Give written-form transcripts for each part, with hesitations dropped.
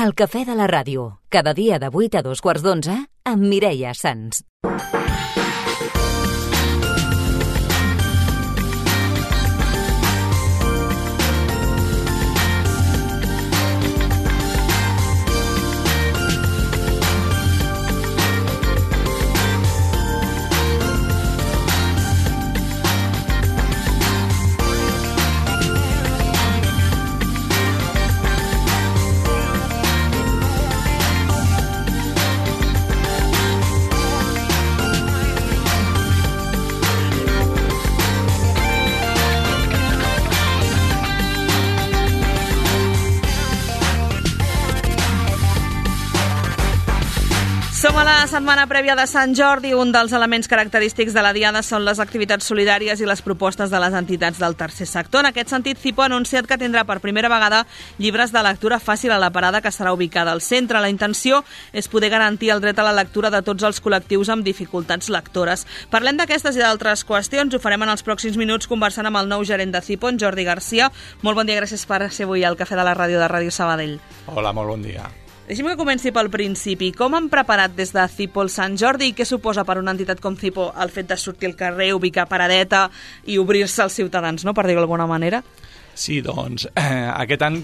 El cafè de la ràdio, cada dia de 8 a 2:15 amb Mireia Sans. Som a la setmana prèvia de Sant Jordi. Un dels elements característics de la Diada són les activitats solidàries i les propostes de les entitats del tercer sector. En aquest sentit, Cipo ha anunciat que tindrà per primera vegada llibres de lectura fàcil a la parada que estarà ubicada al centre. La intenció és poder garantir el dret a la lectura de tots els col·lectius amb dificultats lectores. Parlem d'aquestes i d'altres qüestions. Ho farem en els pròxims minuts conversant amb el nou gerent de Cipo, en Jordi Garcia. Molt bon dia, gràcies per ser avui al Cafè de la Ràdio de Ràdio Sabadell. Hola, molt bon dia. Deixi'm que comenci pel principi. Com han preparat des de Cipo el Sant Jordi i què suposa per una entitat com Cipo el fet de sortir al carrer, ubicar paradeta i obrir-se als ciutadans, no?, per dir-ho d'alguna manera? Sí, doncs, aquest any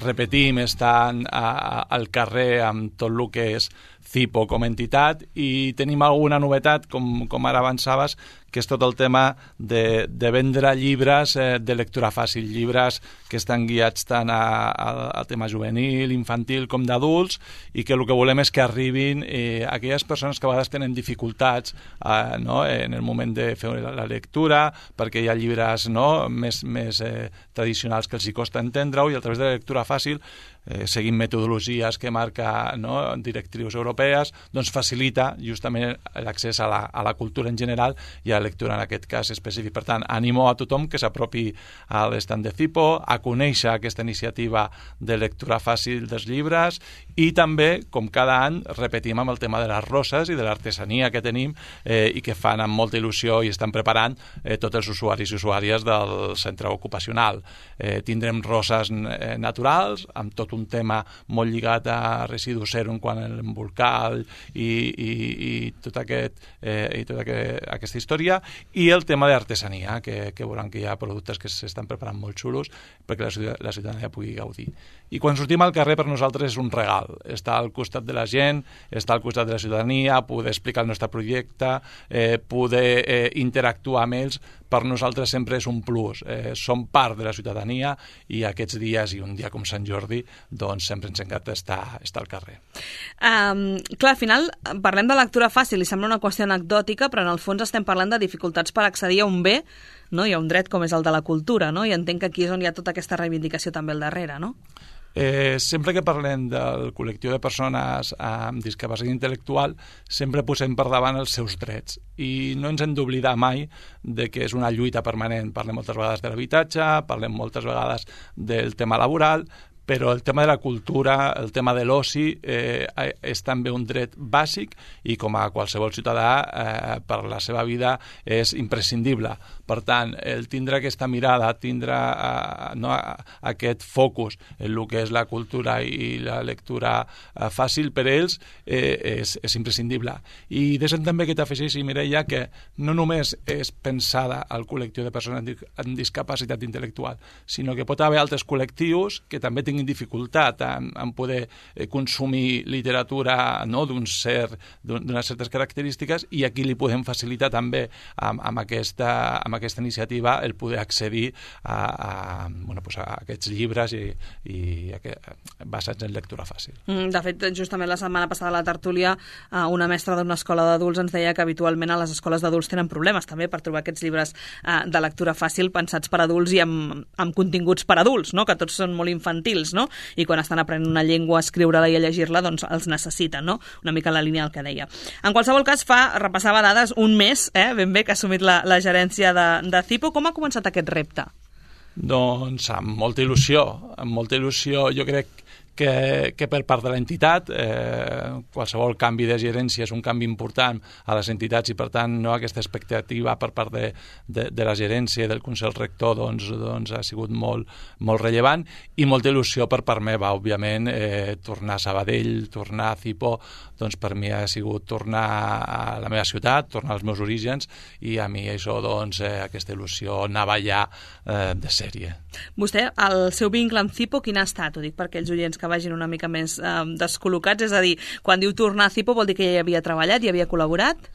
repetim estant al carrer amb tot el que és Cipo com a entitat i tenim alguna novetat, com ara avançaves, que és tot el tema de vendre llibres de lectura fàcil, llibres que estan guiats tant al tema juvenil, infantil com d'adults, i que el que volem és que arribin aquelles persones que a vegades tenen dificultats en el moment de fer la lectura, perquè hi ha llibres més tradicionals que els hi costa entendre-ho, i a través de la lectura fàcil, seguint metodologies que marca directrius europees, doncs facilita justament l'accés a la cultura en general i a la lectura en aquest cas específic. Per tant, animo a tothom que s'apropi a l'estand de Cipo, a conèixer aquesta iniciativa de lectura fàcil dels llibres, i també, com cada any, repetim amb el tema de les roses i de l'artesania que tenim i que fan amb molta il·lusió i estan preparant tots els usuaris i usuàries del centre ocupacional. Tindrem roses naturals, amb tot un tema molt lligat a residus zero en quant a l'embolcall i tota aquesta història, i el tema d'artesania, que veuran que hi ha productes que s'estan preparant molt xulos perquè la ciutadania pugui gaudir. I quan sortim al carrer, per nosaltres és un regal. Estar al costat de la gent, estar al costat de la ciutadania, poder explicar el nostre projecte, poder interactuar amb ells, per nosaltres sempre és un plus. Som part de la ciutadania i aquests dies, i un dia com Sant Jordi, doncs sempre ens encanta estar al carrer. Clar, al final parlem de lectura fàcil i sembla una qüestió anecdòtica, però en el fons estem parlant de dificultats per accedir a un bé, no? I a un dret com és el de la cultura, no? I entenc que aquí és on hi ha tota aquesta reivindicació també al darrere, no? Sempre que parlem del col·lectiu de persones amb discapacitat intel·lectual, sempre posem per davant els seus drets, i no ens hem d'oblidar mai de que és una lluita permanent. Parlem moltes vegades de l'habitatge, parlem moltes vegades del tema laboral, però el tema de la cultura, el tema de l'oci, és també un dret bàsic i com a qualsevol ciutadà per la seva vida és imprescindible. Per tant, el tindre aquesta mirada, tindre aquest focus en el que és la cultura i la lectura fàcil per ells és imprescindible. I deixem també que t'afegeixi, Mireia, que no només és pensada al col·lectiu de persones amb discapacitat intel·lectual, sinó que pot haver altres col·lectius que també tinguin dificultat en poder consumir literatura d'unes certes característiques, i aquí li podem facilitar també amb aquesta iniciativa el poder accedir a aquests llibres i basats en lectura fàcil. De fet, justament la setmana passada a la tertúlia una mestra d'una escola d'adults ens deia que habitualment a les escoles d'adults tenen problemes també per trobar aquests llibres de lectura fàcil pensats per adults i amb continguts per adults, no? Que tots són molt infantils, no? I quan estan aprenent una llengua, a escriure-la i a llegir-la, doncs els necessiten, no? Una mica en la línia del que deia. En qualsevol cas, repassava dades, un mes, ben bé, que ha assumit la gerència de Cipo. Com ha començat aquest repte? Doncs amb molta il·lusió. Jo crec que per part de l'entitat. Qualsevol canvi de gerència és un canvi important a les entitats i, per tant, no, aquesta expectativa per part de la gerència i del Consell Rector doncs ha sigut molt rellevant i molta il·lusió per part meva, òbviament. Tornar a Sabadell, tornar a Cipo, doncs per mi ha sigut tornar a la meva ciutat, tornar als meus orígens, i a mi això, doncs, aquesta il·lusió anava ja de sèrie. Vostè, el seu vincle amb Cipo, quin ha estat? Ho dic per aquells oients que vagin una mica més descol·locats, és a dir, quan diu tornar a Cipo vol dir que ja hi havia treballat, hi havia col·laborat?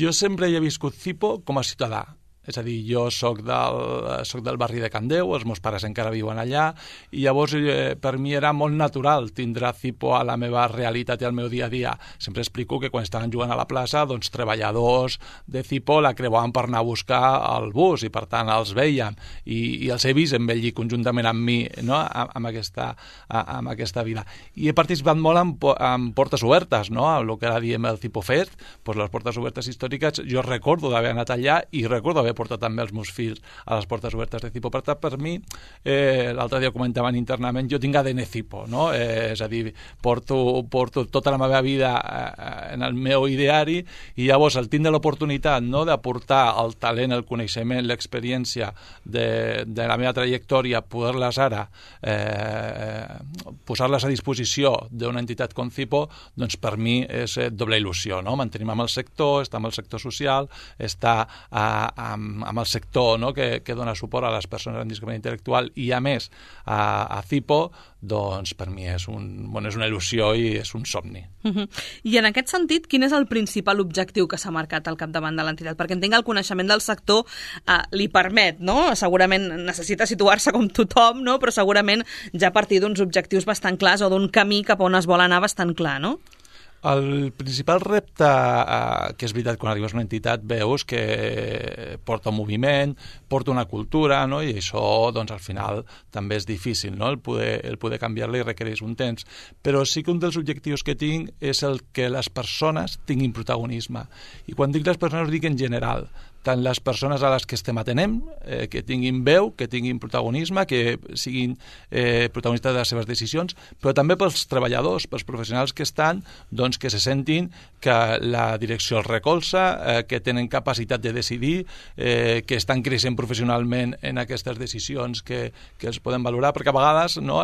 Jo sempre hi he viscut Cipo com a ciutadà. És a dir, jo soc del barri de Can Déu, els meus pares encara viuen allà, i llavors per mi era molt natural tindre Cipo a la meva realitat i al meu dia a dia. Sempre explico que quan estaven jugant a la plaça, doncs treballadors de Cipo la creuaven per anar a buscar el bus i per tant els veiem i els he vist envellir conjuntament amb mi, no? amb aquesta vida. I he participat molt en portes obertes, no? El que ara diem el Cipo Fest, doncs les portes obertes històriques, jo recordo d'haver anat allà i recordo haver portat també els meus fills a les portes obertes de Cipo. Per tant, per mi, l'altre dia comentaven internament, jo tinc ADN Cipo, no? És a dir, porto tota la meva vida en el meu ideari i llavors el tindre l'oportunitat, no?, d'aportar el talent, el coneixement, l'experiència de la meva trajectòria, poder-les ara posar-les a disposició d'una entitat com Cipo, doncs per mi és doble il·lusió, no? Mantenim amb el sector, estar amb el sector social, estar amb el sector, no?, que dona suport a les persones amb discapacitat intel·lectual i, a més, a Cipo, doncs per mi és una il·lusió i és un somni. I en aquest sentit, quin és el principal objectiu que s'ha marcat al capdavant de l'entitat? Perquè entenc que el coneixement del sector li permet, no? Segurament necessita situar-se com tothom, no? Però segurament ja a partir d'uns objectius bastant clars o d'un camí cap on es vol anar bastant clar, no? El principal repte, que és veritat, quan arribes a una entitat veus que porta un moviment, porta una cultura, no? I això, doncs, al final també és difícil, no?, el poder canviar-la i requereix un temps. Però sí que un dels objectius que tinc és el que les persones tinguin protagonisme. I quan dic les persones ho dic en general, tant les persones a les que estem atenent, que tinguin veu, que tinguin protagonisme, que siguin protagonistes de les seves decisions, però també pels treballadors, pels professionals que estan, doncs que se sentin que la direcció els recolza, que tenen capacitat de decidir, que estan creixent professionalment en aquestes decisions que els podem valorar, perquè a vegades, no,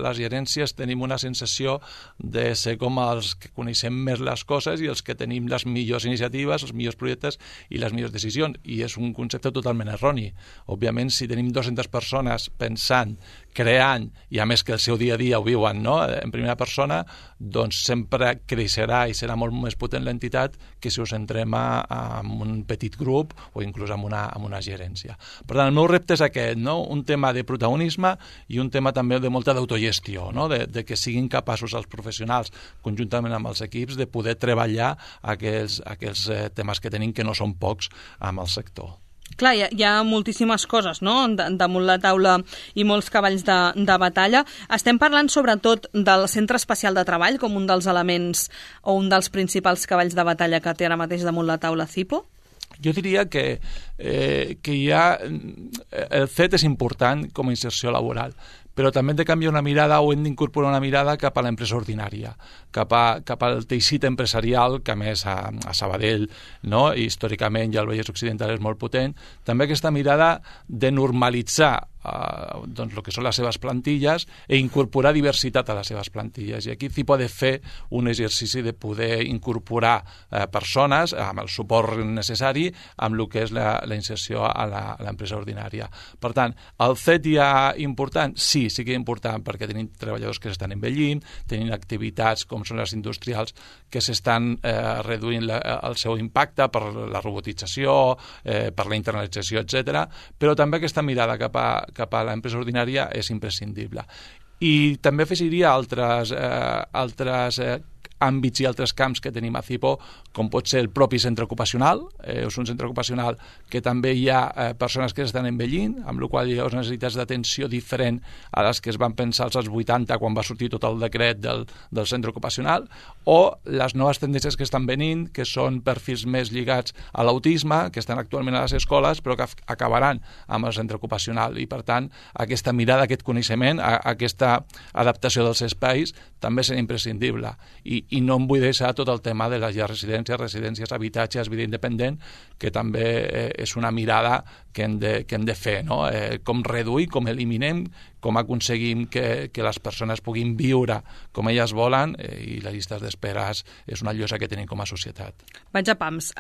les gerències tenim una sensació de ser com els que coneixem més les coses i els que tenim les millors iniciatives, els millors projectes i les millors decisions. I és un concepte totalment erroni. Òbviament, si tenim 200 persones pensant, creant, i a més que el seu dia a dia ho viuen, no?, en primera persona, doncs sempre creixerà i serà molt més potent l'entitat que si us centrem en un petit grup o inclús en una gerència. Per tant, el meu repte és aquest, no?, un tema de protagonisme i un tema també de molta d'autogestió, no?, de que siguin capaços els professionals, conjuntament amb els equips, de poder treballar aquells temes que tenim, que no són pocs, amb el sector. Clar, hi ha moltíssimes coses, no?, damunt la taula i molts cavalls de batalla. Estem parlant sobretot del Centre Especial de Treball com un dels elements o un dels principals cavalls de batalla que té ara mateix damunt la taula Cipo? Jo diria que el CET és important com a inserció laboral, però també hem de canviar una mirada o hem d'incorporar una mirada cap a l'empresa ordinària, cap al teixit empresarial, que a més a Sabadell, no?, i històricament ja el Vallès Occidental és molt potent, també aquesta mirada de normalitzar doncs el que són les seves plantilles i incorporar diversitat a les seves plantilles. I aquí Cipo ha de fer un exercici de poder incorporar persones amb el suport necessari amb el que és la inserció a l'empresa ordinària. Per tant, el CET ja important? Sí que és important, perquè tenim treballadors que s'estan envellint, tenim activitats com són les industrials que s'estan reduint el seu impacte per la robotització, per la internalització, etc. Però també aquesta mirada cap a l'empresa ordinària és imprescindible. I també afegiria altres àmbits i altres camps que tenim a CIPO, com pot ser el propi centre ocupacional. És un centre ocupacional que també hi ha persones que estan envellint, amb la qual hi ha unes necessitats d'atenció diferent a les que es van pensar als anys 80 quan va sortir tot el decret del centre ocupacional, o les noves tendències que estan venint, que són perfils més lligats a l'autisme, que estan actualment a les escoles, però que acabaran amb el centre ocupacional. I, per tant, aquesta mirada, aquest coneixement, aquesta adaptació dels espais també serà imprescindible. I no em vull deixar tot el tema de les residències, habitatges, vida independent, que també és una mirada que hem de fer, no? Com reduir, com eliminem, com aconseguim que les persones puguin viure com elles volen, i les llistes d'espera és una llosa que tenim com a societat. Vaig a pams.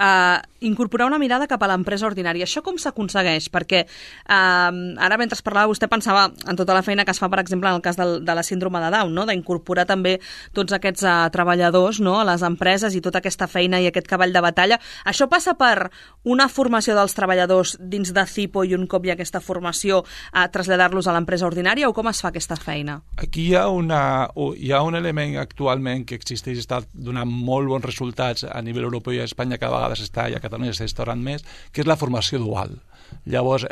Incorporar una mirada cap a l'empresa ordinària. Això com s'aconsegueix? Perquè ara, mentre parlava, vostè pensava en tota la feina que es fa, per exemple, en el cas de la síndrome de Down, no? D'incorporar també tots aquests treballadors, no?, a les empreses, i tota aquesta feina i aquest cavall de batalla. Això passa per una formació dels treballadors dins de CIPO i un cop hi ha aquesta formació a traslladar-los a l'empresa ordinària, o com es fa aquesta feina? Aquí hi ha un element actualment que existeix i està donant molt bons resultats a nivell europeu i a Espanya cada vegada s'està, i a Catalunya s'està instaurant més, que és la formació dual. Llavors,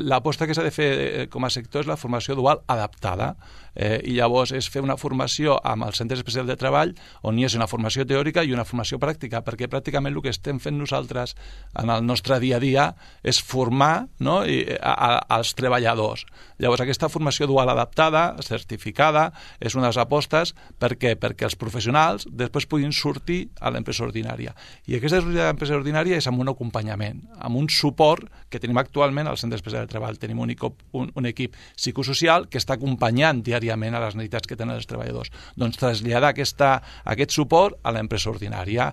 l'aposta que s'ha de fer com a sector és la formació dual adaptada, i llavors és fer una formació amb els centres especials de treball on hi és una formació teòrica i una formació pràctica, perquè pràcticament el que estem fent nosaltres en el nostre dia a dia és formar, no?, als treballadors. Llavors, aquesta formació dual adaptada, certificada, és una de les apostes. Per què? Perquè els professionals després puguin sortir a l'empresa ordinària. I aquesta empresa ordinària és amb un acompanyament, amb un suport que tenim actualment al centre especial de treball. Tenim un equip psicosocial que està acompanyant diàriament a les necessitats que tenen els treballadors. Doncs traslladar aquest suport a l'empresa ordinària,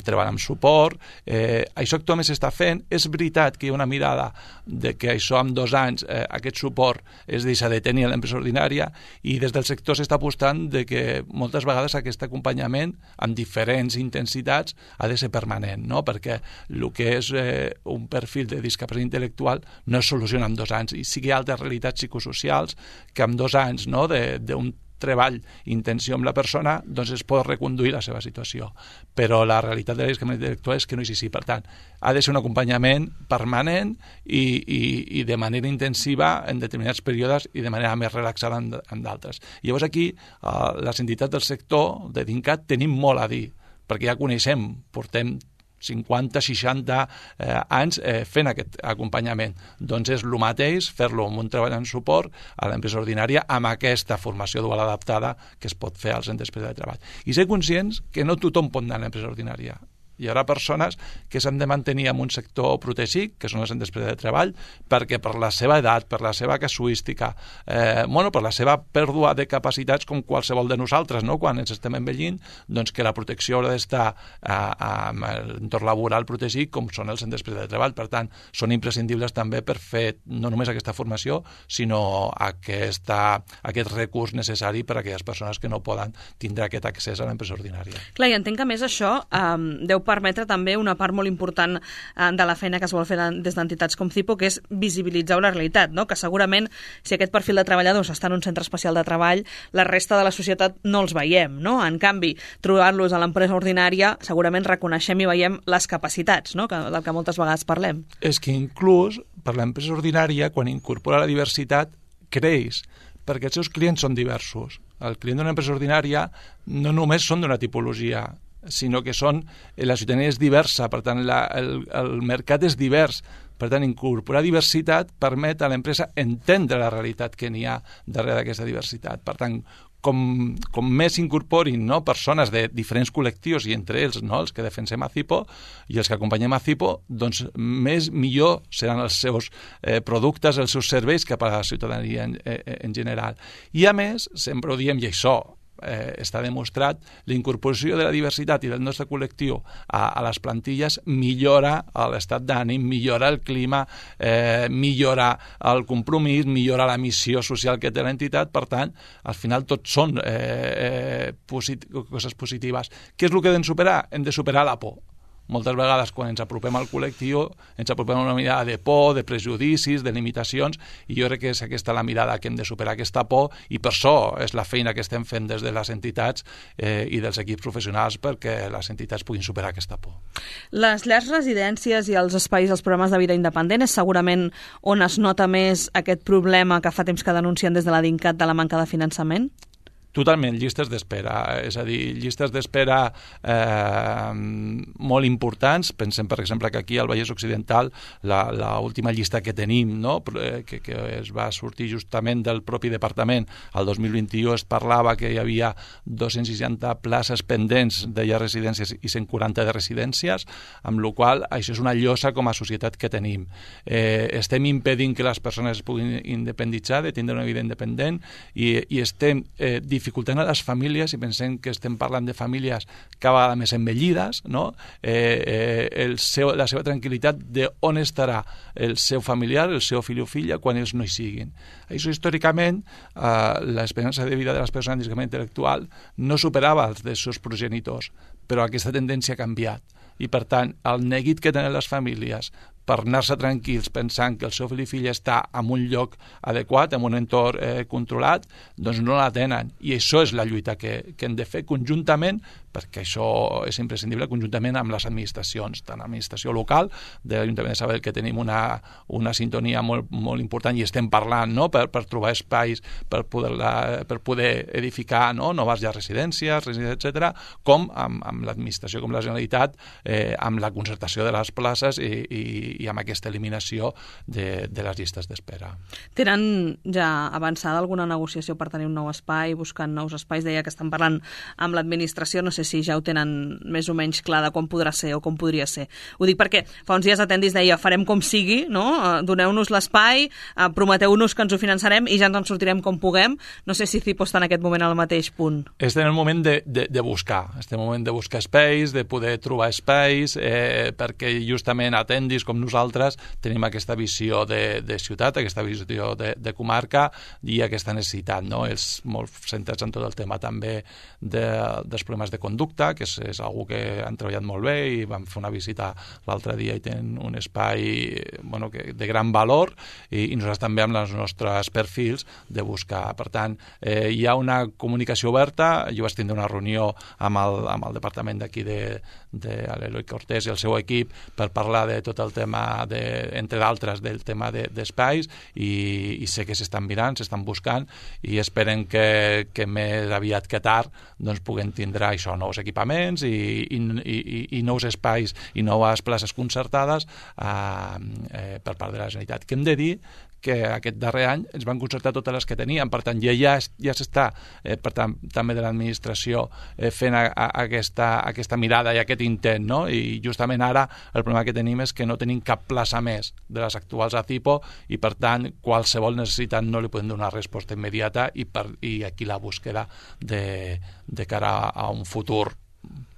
treballar amb suport. Això actualment s'està fent. És veritat que hi ha una mirada de que això en 2 anys aquest suport es deixa de tenir a l'empresa ordinària, i des del sector s'està apostant de que moltes vegades aquest acompanyament amb diferents intensitats ha de ser permanent, no? Perquè el que és un perfil de discapacitat intel·lectual no es soluciona en 2 anys, i sí que hi ha altres realitats psicosocials que en 2 anys, no?, d'un treball, intenció amb la persona, doncs es pot reconduir la seva situació. Però la realitat de la discapacitat intel·lectual és que no és així. Per tant, ha de ser un acompanyament permanent i de manera intensiva en determinats períodes i de manera més relaxada en d'altres. I llavors aquí, les entitats del sector de DINCAT tenim molt a dir, perquè ja coneixem, portem 50, 60 anys fent aquest acompanyament. Doncs és el mateix fer-lo amb un treball en suport a l'empresa ordinària amb aquesta formació dual adaptada que es pot fer al centre especial de treball. I ser conscients que no tothom pot anar a l'empresa ordinària. Hi haurà persones que s'han de mantenir en un sector protegit, que són els centres especials de treball, perquè per la seva edat, per la seva casuística, per la seva pèrdua de capacitats com qualsevol de nosaltres, no?, quan ens estem envellint, doncs que la protecció haurà d'estar amb l'entorn laboral protegit, com són els centres especials de treball. Per tant, són imprescindibles també per fer no només aquesta formació, sinó aquest recurs necessari per a aquelles persones que no poden tindre aquest accés a l'empresa ordinària. Clar, i entenc que més això deu permetre també una part molt important de la feina que es vol fer des d'entitats com CIPO, que és visibilitzar una realitat, no?, que segurament si aquest perfil de treballadors està en un centre especial de treball, la resta de la societat no els veiem, no? En canvi, trobar-los a l'empresa ordinària segurament reconeixem i veiem les capacitats, no?, del que moltes vegades parlem. És que inclús per l'empresa ordinària, quan incorpora la diversitat, creix, perquè els seus clients són diversos. El client d'una empresa ordinària no només són d'una tipologia, sinó que la ciutadania és diversa, per tant el mercat és divers. Per tant, incorporar diversitat permet a l'empresa entendre la realitat que n'hi ha darrere d'aquesta diversitat. Per tant, com més incorporin, no?, persones de diferents col·lectius, i entre ells, no?, els que defensem a CIPO i els que acompanyem a CIPO, doncs millor seran els seus productes, els seus serveis cap a la ciutadania en general. I a més, sempre ho diem, i això està demostrat, la incorporació de la diversitat i del nostre col·lectiu a les plantilles millora l'estat d'ànim, millora el clima, millora el compromís, millora la missió social que té l'entitat. Per tant, al final tot són coses positives. Què és el que hem de superar? Hem de superar la por. moltes vegades quan ens apropem al col·lectiu ens apropem a una mirada de por, de prejudicis, de limitacions, i jo crec que és aquesta la mirada que hem de superar aquesta por, i per això és la feina que estem fent des de les entitats i dels equips professionals perquè les entitats puguin superar aquesta por. Les llars, residències i els espais, els programes de vida independent és segurament on es nota més aquest problema que fa temps que denuncien des de la DINCAT de la manca de finançament? Totalment, llistes d'espera, és a dir, llistes d'espera molt importants. Pensem, per exemple, que aquí al Vallès Occidental l'última llista que tenim, no? que es va sortir justament del propi departament, el 2021 es parlava que hi havia 260 places pendents de llars residències i 140 de residències, amb la qual cosa això és una llosa com a societat que tenim. Estem impedint que les persones es puguin independitzar, de tindre una vida independent, i estem dificultant a les famílies, i pensem que estem parlant de famílies cada vegada més envellides, no? La seva tranquil·litat de on estarà el seu familiar, el seu fill o filla, quan ells no hi siguin. Això històricament, l'esperança de vida de les persones amb discapacitat intel·lectual no superava els dels seus progenitors, però aquesta tendència ha canviat. I, per tant, el neguit que tenen les famílies per anar-se tranquils pensant que el seu fill i filla està en un lloc adequat, en un entorn controlat, doncs no la tenen. I això és la lluita que hem de fer conjuntament, perquè això és imprescindible, conjuntament amb les administracions, tant l'administració local, de l'Ajuntament de Sabadell, que tenim una sintonia molt important i estem parlant, no? per trobar espais per poder edificar, no? noves llars residències, etc., com amb l'administració, com la Generalitat, amb la concertació de les places i amb aquesta eliminació de les llistes d'espera. Tenen ja avançada alguna negociació per tenir un nou espai, buscant nous espais? Deia que estan parlant amb l'administració, no sé si ja ho tenen més o menys clar de com podrà ser o com podria ser. Ho dic perquè fa uns dies Atendis deia farem com sigui, no? Doneu-nos l'espai, prometeu-nos que ens ho finançarem i ja ens en sortirem com puguem. No sé si CIPO està en aquest moment al mateix punt. Estem en el moment de buscar. Estem en el moment de buscar espais, de poder trobar espais, perquè justament Atendis, com nosaltres, tenim aquesta visió de ciutat, aquesta visió de comarca i aquesta necessitat, no? Els molt centrats en tot el tema també dels problemes de conducta, que és algo que han treballat molt bé i vam fer una visita l'altre dia i tenen un espai de gran valor i nosaltres també amb els nostres perfils de buscar. Per tant, hi ha una comunicació oberta. Jo vaig tindre una reunió amb el departament d'aquí de l'Eloi Cortés i el seu equip per parlar de tot el tema, entre d'altres, del tema d'espais i sé que s'estan mirant, s'estan buscant i esperen que més aviat que tard doncs puguem tindre això, nous equipaments i nous espais i noves places concertades per part de la Generalitat. Que hem de dir que aquest darrer any ens van concertar totes les que teníem, per tant ja s'està per tant també de l'administració fent aquesta mirada i aquest intent, no? I justament ara el problema que tenim és que no tenim cap plaça més de les actuals a CIPO i per tant qualsevol necessitat no li podem donar resposta immediata i aquí la búsqueda de cara a un futur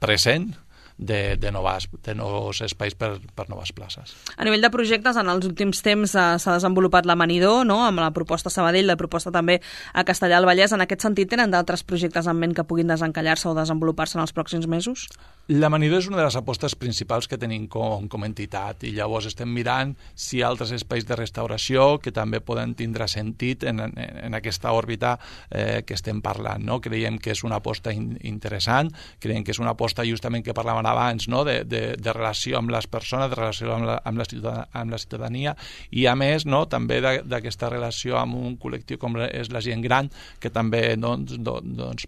present de nous espais per noves places. A nivell de projectes, en els últims temps s'ha desenvolupat l'Amanidor, no? Amb la proposta Sabadell, la proposta també a Castellar del Vallès. En aquest sentit, tenen d'altres projectes en ment que puguin desencallar-se o desenvolupar-se en els pròxims mesos? L'Amanidor és una de les apostes principals que tenim com entitat i llavors estem mirant si hi ha altres espais de restauració que també poden tindre sentit en aquesta òrbita que estem parlant, no? Creiem que és una aposta interessant, creiem que és una aposta justament que parlàvem abans, no? de relació amb les persones, de relació amb la ciutadania i a més, no? també d'aquesta relació amb un col·lectiu com és la gent gran que també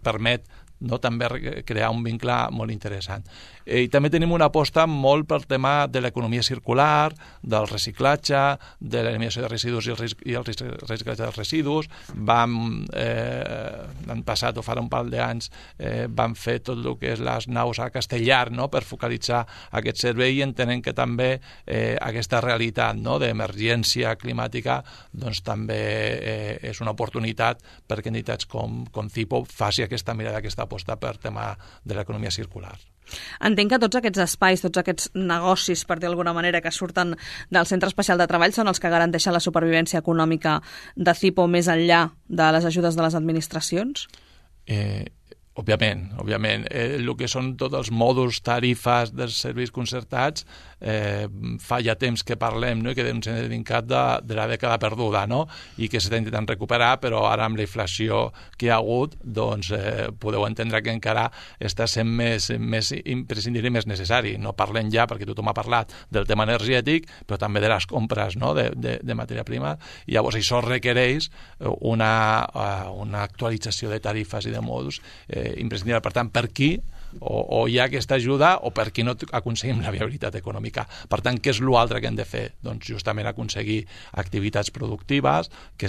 permet també crear un vincle molt interessant. I també tenim una aposta molt pel tema de l'economia circular, del reciclatge, de l'eliminació de residus i el reciclatge dels residus. L'any passat, o fa un parell d'anys, vam fer tot el que és les naus a Castellar, no? Per focalitzar aquest servei i entenem que també aquesta realitat, no? D'emergència climàtica doncs també és una oportunitat perquè entitats com CIPO faci aquesta mirada, aquesta aposta per tema de l'economia circular. Entenc que tots aquests espais, tots aquests negocis, per dir d'alguna manera, que surten del Centre Especial de Treball són els que garanteixen la supervivència econòmica de CIPO més enllà de les ajudes de les administracions? Òbviament. El que són tots els mòduls, tarifes dels serveis concertats, fa ja temps que parlem, no? I que ens hem dedicat de la dècada perduda, no? I que s'està intentant recuperar, però ara amb la inflació que hi ha hagut, doncs podeu entendre que encara està sent més imprescindible i més necessari. No parlem ja, perquè tothom ha parlat del tema energètic, però també de les compres, no? de matèria prima. I llavors això requereix una actualització de tarifes i de mòduls imprescindible. Per tant, per qui o hi ha aquesta ajuda o per qui no aconseguim la viabilitat econòmica. Per tant, què és l'altre que hem de fer? Doncs justament aconseguir activitats productives que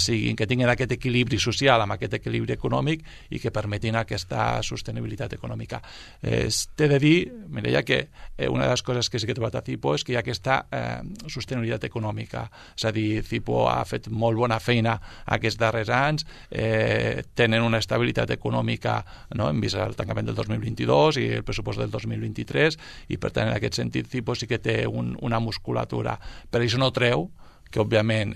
tinguin aquest equilibri social amb aquest equilibri econòmic i que permetin aquesta sostenibilitat econòmica. T'he de dir, Mireia, que una de les coses que sí que he trobat a CIPO és que hi ha aquesta sostenibilitat econòmica. És a dir, CIPO ha fet molt bona feina aquests darrers anys, tenen una estabilitat econòmica, no? Hem vist el tancament del 2022 i el pressupost del 2023 i per tant en aquest sentit CIPO sí que té una musculatura, però això no treu que òbviament,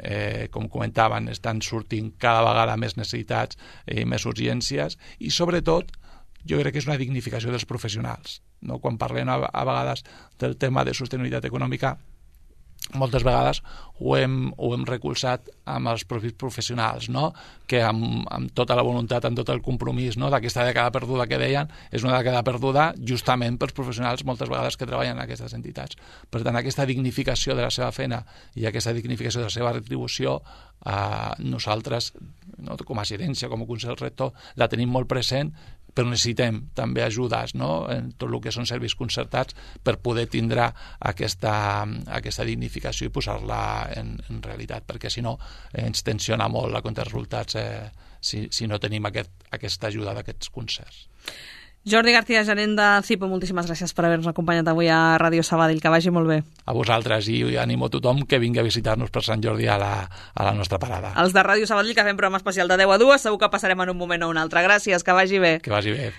com comentaven, estan sortint cada vegada més necessitats i més urgències i sobretot jo crec que és una dignificació dels professionals, no? Quan parlem a vegades del tema de sostenibilitat econòmica, moltes vegades ho hem recolzat amb els propis professionals, no? Que amb tota la voluntat, amb tot el compromís, no? D'aquesta dècada perduda que deien, és una dècada perduda justament pels professionals moltes vegades que treballen en aquestes entitats. Per tant, aquesta dignificació de la seva feina i aquesta dignificació de la seva retribució, nosaltres, no? Com a gerència, com a Consell Rector, la tenim molt present, però necessitem també ajudes, no? En tot el que són serveis concertats per poder tindre aquesta dignificació i posar-la en realitat, perquè si no ens tensiona molt la compte de resultats si no tenim aquesta ajuda d'aquests concerts. Jordi García, gerent de CIPO, moltíssimes gràcies per haver-nos acompanyat avui a Ràdio Sabadell. Que vagi molt bé. A vosaltres i animo a tothom que vingui a visitar-nos per Sant Jordi a la nostra parada. Els de Ràdio Sabadell, que fem programa especial de 10 a 2, segur que passarem en un moment o un altre. Gràcies, que vagi bé. Que vagi bé.